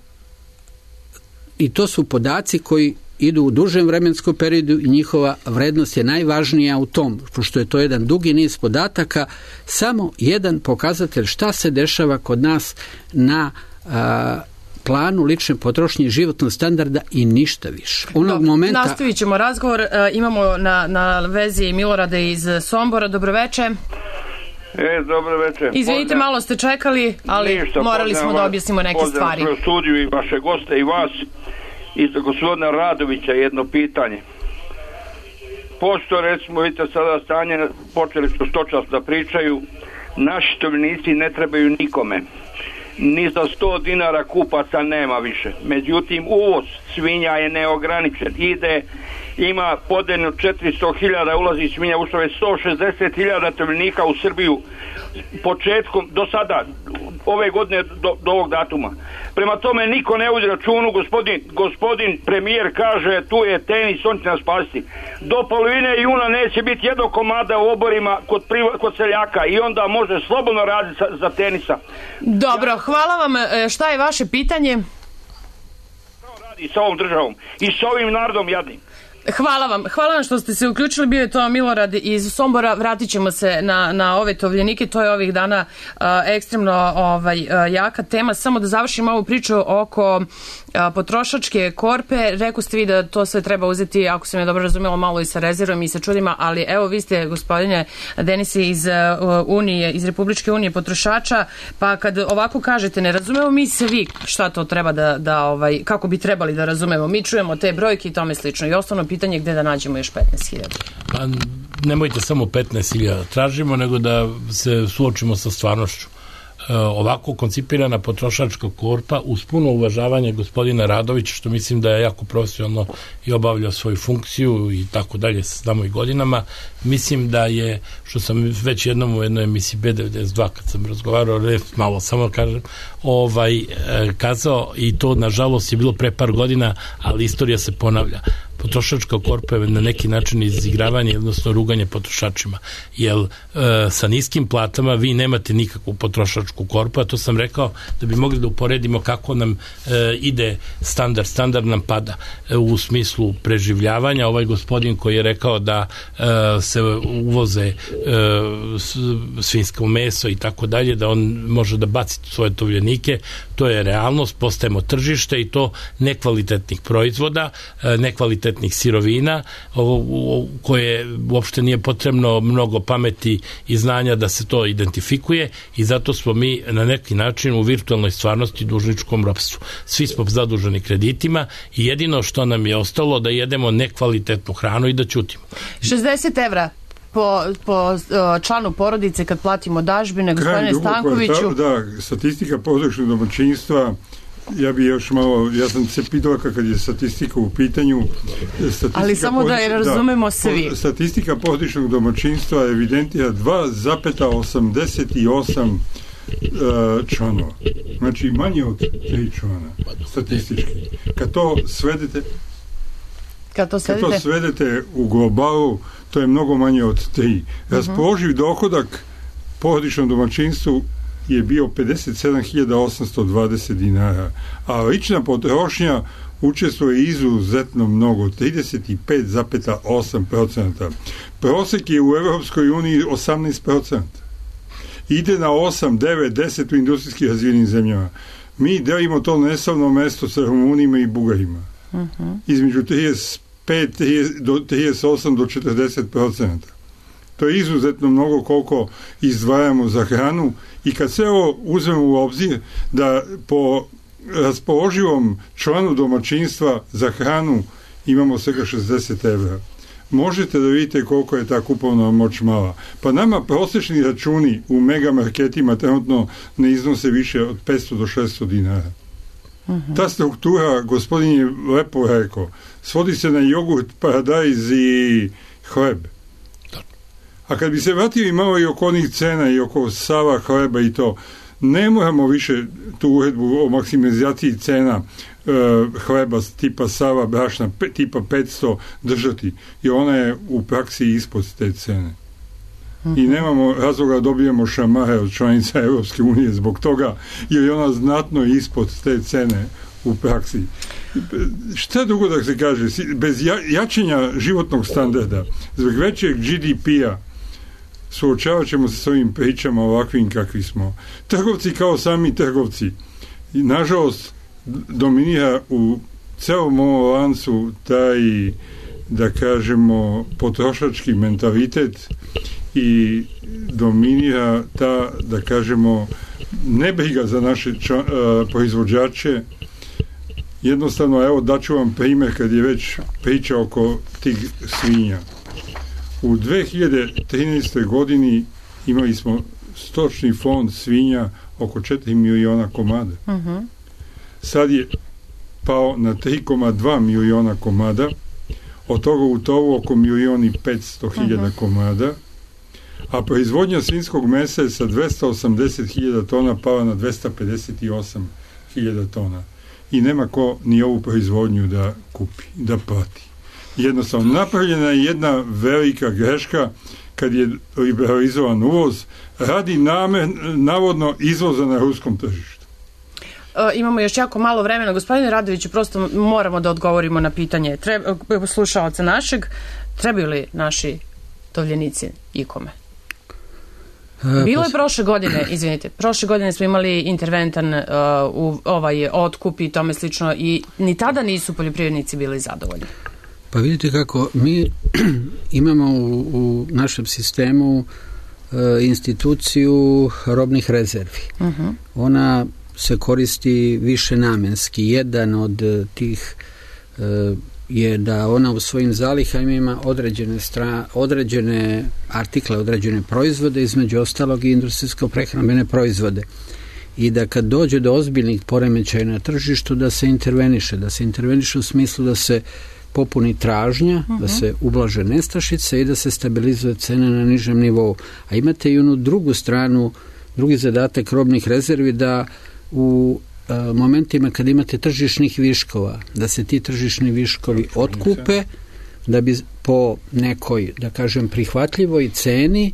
i to su podaci koji idu u dužem vremenskom periodu i njihova vrednost je najvažnija u tom, pošto je to jedan dugi niz podataka, samo jedan pokazatelj šta se dešava kod nas na a, planu lične potrošnje i životnog standarda i ništa više. Onog momenta... Nastavit ćemo razgovor. E, imamo na, na vezi Milorada iz Sombora. Dobroveče. E, dobro večer. Izvinite, Pozdra... malo ste čekali, ali Ništa, morali smo da objasnimo neke Pozdravim stvari. Pozdravim studiju i vaše goste i vas. I za gospodina Radovića jedno pitanje. Pošto, recimo, vidite sada stanje, počeli su stočarstvo da pričaju, naši tovljenici ne trebaju nikome. Ni za sto dinara kupaca nema više. Međutim, uvoz svinja je neograničen. Ide, ima podeljno četiristo hiljada ulazi svinja, ušlo je sto šezdeset hiljada tovljenika u Srbiju početkom, do sada, ove godine do, do ovog datuma. Prema tome niko ne udi računu, gospodin, gospodin premijer kaže tu je tenis, on će nas spasiti. Do polovine juna neće biti jednog komada u oborima kod, priva, kod seljaka i onda može slobodno raditi za, za tenisa. Dobro, hvala vam. Šta je vaše pitanje? Što radi sa ovom državom i sa ovim narodom jadnim? Hvala vam. Hvala vam što ste se uključili. Bio je to Milorad iz Sombora. Vratit ćemo se na, na ove tovljenike. To je ovih dana uh, ekstremno ovaj, uh, jaka tema. Samo da završim ovu priču oko uh, potrošačke korpe. Rekao ste vi da to sve treba uzeti, ako sam je dobro razumela, malo i sa rezervom i sa čudima, ali evo vi ste, gospodine Denisi, iz uh, Unije, iz Republičke unije potrošača, pa kad ovako kažete, ne razumemo mi se vi šta to treba da, da ovaj, kako bi trebali da razumemo. Mi čujemo te brojke i tome slično. I osnovno pitanje gde da nađemo još petnaest hiljada. Pa nemojte samo petnaest hiljada tražimo, nego da se suočimo sa stvarnošću. ovako koncipirana potrošačka korpa uz puno uvažavanje gospodina Radovića, što mislim da je jako profesionalno i obavljao svoju funkciju i tako dalje sa znamo i godinama, mislim da je, što sam već jednom u jednoj emisiji B devedeset dva kad sam razgovarao, malo samo kažem, ovaj, kazao, i to nažalost je bilo pre par godina, ali istorija se ponavlja. Potrošačka korpa je na neki način izigravanje, odnosno ruganje potrošačima. Jer e, sa niskim platama vi nemate nikakvu potrošačku korpu, a to sam rekao da bi mogli da uporedimo kako nam e, ide standard. Standard nam pada e, u smislu preživljavanja. Ovaj gospodin koji je rekao da e, se uvoze e, svinjsko meso i tako dalje, da on može da baci svoje tovljenike, to je realnost, postajemo tržište i to nekvalitetnih proizvoda, e, nekvalitetnih sirovina, ovo, koje uopšte nije potrebno mnogo pameti i znanja da se to identifikuje, i zato smo mi na neki način u virtualnoj stvarnosti dužničkom ropstvu. Svi smo zaduženi kreditima i jedino što nam je ostalo da jedemo nekvalitetnu hranu i da ćutimo. šezdeset evra po, po članu porodice kad platimo dažbine, gospodine Stankoviću. Da, statistika porodičnog domaćinstva. Ja bi još malo, ja sam se pitao kad je statistika u pitanju. Ali samo da je razumemo da, svi. Statistika porodičnog domaćinstva evidentira dva zarez osamdeset osam uh, članova. Znači manje od tri člana statistički. Kad to svedete kad to svedete, kad to svedete u globalu, to je mnogo manje od tri. Raspoloživ uh-huh. dohodak porodičnom domaćinstvu je bio pedeset sedam hiljada osamsto dvadeset dinara, a lična potrošnja učestvuje izuzetno mnogo, trideset pet zarez osam posto. Prosek je u Evropskoj uniji osamnaest posto. Ide na osam, devet, deset u industrijski razvijenim zemljama. Mi delimo to neslavno mesto sa Rumunima i Bugarima. Uh-huh. Između trideset pet do trideset osam do četrdeset posto. To je izuzetno mnogo koliko izdvajamo za hranu, i kad se ovo uzmemo u obzir da po raspoloživom članu domaćinstva za hranu imamo svega šezdeset evra. Možete da vidite koliko je ta kupovna moć mala. Pa nama prosječni računi u megamarketima trenutno ne iznose više od petsto do šesto dinara. Uh-huh. Ta struktura, gospodin je lepo rekao, svodi se na jogurt, paradajz i hleb. A kad bi se vratili malo i oko onih cena i oko sava, hleba i to, ne moramo više tu uredbu o maksimalizaciji cena e, hleba tipa sava, brašna, pe, tipa petsto držati, i ona je u praksi ispod te cene. Uh-huh. I nemamo razloga da dobijemo šamare od članica Evropske unije zbog toga, jer je ona znatno ispod te cene u praksi. Šta drugo da se kaže, bez ja, jačenja životnog standarda, zbog većeg G D P-a, suočavat ćemo se s ovim pričama ovakvim kakvi smo. Trgovci kao sami trgovci. I, nažalost, dominira u celom ovom lancu taj, da kažemo, potrošački mentalitet i dominira ta, da kažemo, nebriga za naše ča, uh, proizvođače. Jednostavno, evo, daću vam primjer kad je već priča oko tih svinja. U dve hiljade trinaestoj godini imali smo stočni fond svinja oko četiri miliona komada. Uh-huh. Sad je pao na tri zarez dva miliona komada, od toga u tovu oko milion i petsto hiljada uh-huh. komada, a proizvodnja svinjskog mesa je sa dvesta osamdeset hiljada tona pala na dvesta pedeset osam hiljada tona. I nema ko ni ovu proizvodnju da kupi, da plati. Jednostavno, napravljena je jedna velika greška kad je liberalizovan uvoz radi namer, navodno izvoza na ruskom tržištu. E, imamo još jako malo vremena. Gospodine Radoviću, prosto moramo da odgovorimo na pitanje Treba, slušalca našeg. Trebaju li naši tovljenici ikome? Bilo je prošle godine, izvinite, prošle godine smo imali interventan uh, u ovaj otkup i tome slično, i ni tada nisu poljoprivrednici bili zadovoljni. Pa vidite kako mi imamo u, u našem sistemu uh, instituciju robnih rezervi. Uh-huh. Ona se koristi više namenski. Jedan od uh, tih uh, je da ona u svojim zalihama ima određene, stra, određene artikle, određene proizvode, između ostalog i industrijsko-prehrambene proizvode. I da kad dođe do ozbiljnih poremećaja na tržištu da se interveniše, da se interveniše u smislu da se popuni tražnja, uh-huh. da se ublaže nestašice i da se stabilizuje cena na nižem nivou. A imate i onu drugu stranu, drugi zadatak robnih rezervi, da u e, momentima kad imate tržišnih viškova, da se ti tržišni viškovi otkupe, da bi po nekoj, da kažem, prihvatljivoj ceni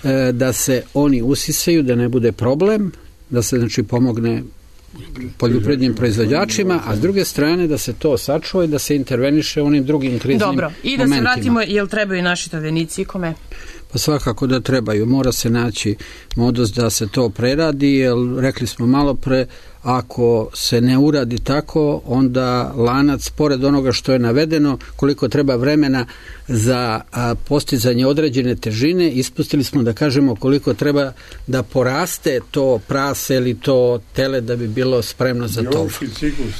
e, da se oni usisaju, da ne bude problem, da se znači pomogne poljoprivrednim proizvođačima, a s druge strane da se to sačuva i da se interveniše u onim drugim kriznim momentima. Dobro, i da momentima. Se vratimo, jel trebaju naši tovljenici i kome? Pa svakako da trebaju. Mora se naći modus da se to preradi, jer rekli smo malo pre, ako se ne uradi tako, onda lanac, pored onoga što je navedeno, koliko treba vremena za a, postizanje određene težine, ispustili smo da kažemo koliko treba da poraste to prase ili to tele da bi bilo spremno za to.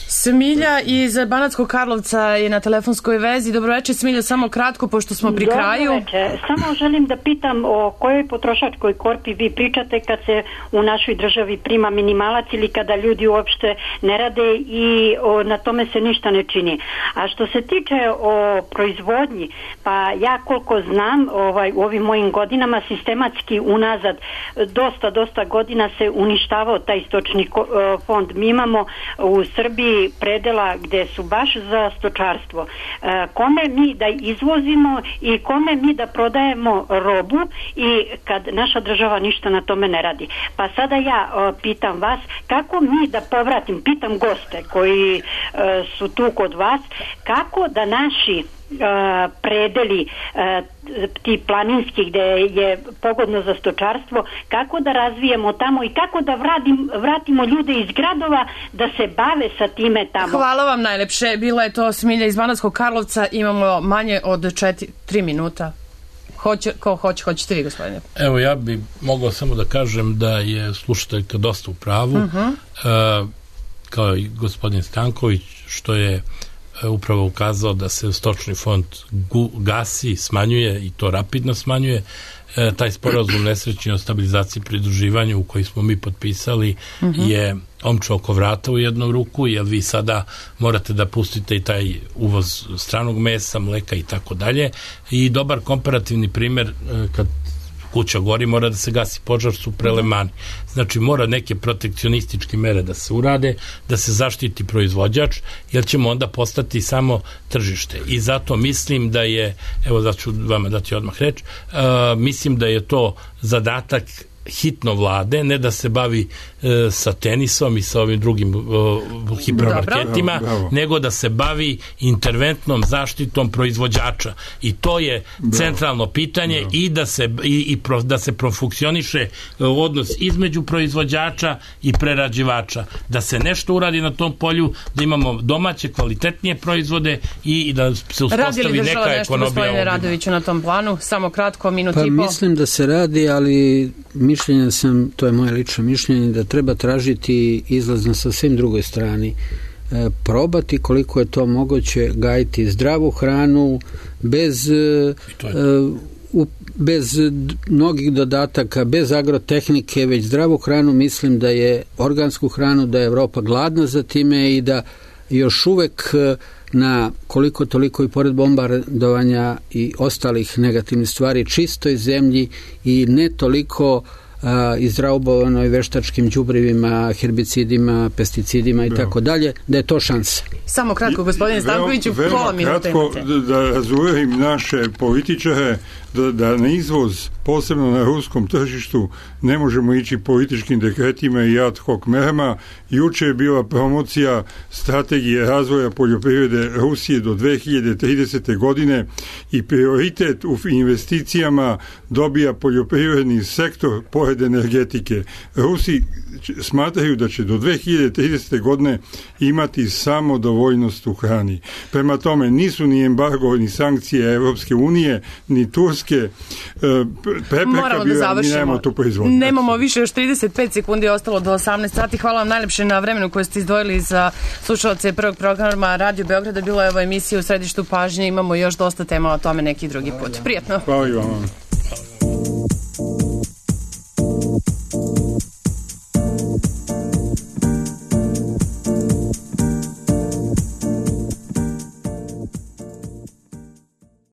Smilja iz Banatskog Karlovca je na telefonskoj vezi. Dobroveče, Smilja, samo kratko, pošto smo pri kraju. Dobroveče. Samo želim da pitam o kojoj potrošačkoj korpi vi pričate kad se u našoj državi prima minimalac ili kada ljudi uopšte ne rade i o, na tome se ništa ne čini. A što se tiče o proizvodnji, pa ja koliko znam ovaj, u ovim mojim godinama sistematski unazad dosta, dosta godina se uništavao taj stočni fond. Mi imamo u Srbiji predela gde su baš za stočarstvo. Kome mi da izvozimo i kome mi da prodajemo robu i kad naša država ništa na tome ne radi. Pa sada ja pitam vas, kako mi da povratim, pitam goste koji su tu kod vas, kako da naši Uh, predeli uh, ti planinski gde je pogodno za stočarstvo, kako da razvijemo tamo i kako da vratim, vratimo ljude iz gradova da se bave sa time tamo. Hvala vam najlepše. Bila je to Smilja iz Banatskog Karlovca. Imamo manje od četiri, tri minuta. Hoće, ko hoće, hoćete vi, gospodine? Evo, ja bi mogao samo da kažem da je slušateljka dosta u pravu, uh-huh. uh, kao i gospodin Stanković, što je upravo ukazao da se stočni fond gasi, smanjuje i to rapidno smanjuje. E, taj sporazum nesrećni o stabilizaciji i pridruživanju u koji smo mi potpisali uh-huh. je omča oko vrata u jednu ruku, jer vi sada morate da pustite i taj uvoz stranog mesa, mleka i tako dalje. I dobar komparativni primjer, e, kad kuća gori, mora da se gasi požar, su prelemani. Znači, mora neke protekcionističke mere da se urade, da se zaštiti proizvođač, jer ćemo onda postati samo tržište. I zato mislim da je, evo da ću vama dati odmah reč, uh, mislim da je to zadatak hitno vlade, ne da se bavi e, sa tenisom i sa ovim drugim e, hipermarketima, bravo, bravo. nego da se bavi interventnom zaštitom proizvođača. I to je bravo. centralno pitanje bravo. i da se i, i pro, da se profunkcioniše odnos između proizvođača i prerađivača. Da se nešto uradi na tom polju, da imamo domaće kvalitetnije proizvode i, i da se uspostavi neka ekonomija. Nešto, gospodine Radoviću, na tom planu? Samo kratko, minut pa, i pol. Mislim da se radi, ali mišljenja sam, to je moje lično mišljenje, da treba tražiti izlaz na sasvim drugoj strani. E, probati koliko je to moguće gajiti zdravu hranu bez e, u, bez mnogih dodataka, bez agrotehnike, već zdravu hranu. Mislim da je organsku hranu, da je Evropa gladna za time i da još uvek na koliko toliko i pored bombardovanja i ostalih negativnih stvari čistoj zemlji i ne toliko izraubovanoj veštačkim đubrivima, herbicidima, pesticidima i tako dalje, da je to šansa. Samo kratko, gospodine Stankoviću, pola minuta imate. Kratko, da razuverim naše političare, da, da na izvoz, posebno na ruskom tržištu, ne možemo ići političkim dekretima i ad hoc merama. Juče je bila promocija strategije razvoja poljoprivrede Rusije do dve hiljade tridesete. godine i prioritet u investicijama dobija poljoprivredni sektor pored energetike. Rusi smatraju da će do dve hiljade tridesete. godine imati samo do nedovoljnost u hrani. Prema tome, nisu ni embargo, ni sankcije Evropske unije, ni Turske prepreka bila, mi nemamo tu proizvodnju. Nemamo više, još trideset pet sekundi je ostalo do osamnaest sati. Hvala vam najlepše na vremenu koje ste izdvojili za slušalce prvog programa Radio Beograda. Bilo je ovo emisija u središtu pažnje. Imamo još dosta tema o tome neki drugi put. Prijetno. Hvala i vam.